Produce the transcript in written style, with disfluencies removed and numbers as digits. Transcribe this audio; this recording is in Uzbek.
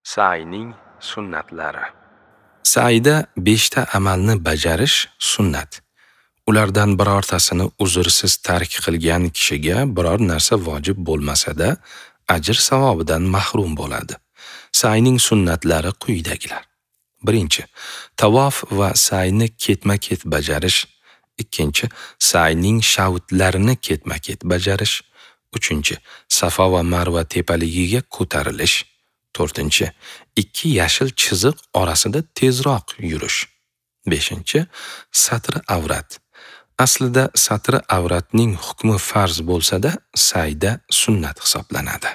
Sa'yning sunnatlari. Sa'yda 5 ta amalni bajarish sunnat. Ulardan birortasini uzrsiz tark qilgan kishiga biror narsa vojib bo'lmasa-da, ajr savobidan mahrum bo'ladi. Sa'yning sunnatlari quyidagilar. 1. Tavof va sa'yni ketma-ket bajarish. 2. Sa'yning shavtlarini ketma-ket bajarish. 3. Safa va Marva tepaligiga ko'tarilish. 4. 2 yashil chiziq orasida tezroq yurish. 5. Satr avrat. Aslida satr avratning hukmi farz bo'lsa-da, sa'yda sunnat hisoblanadi.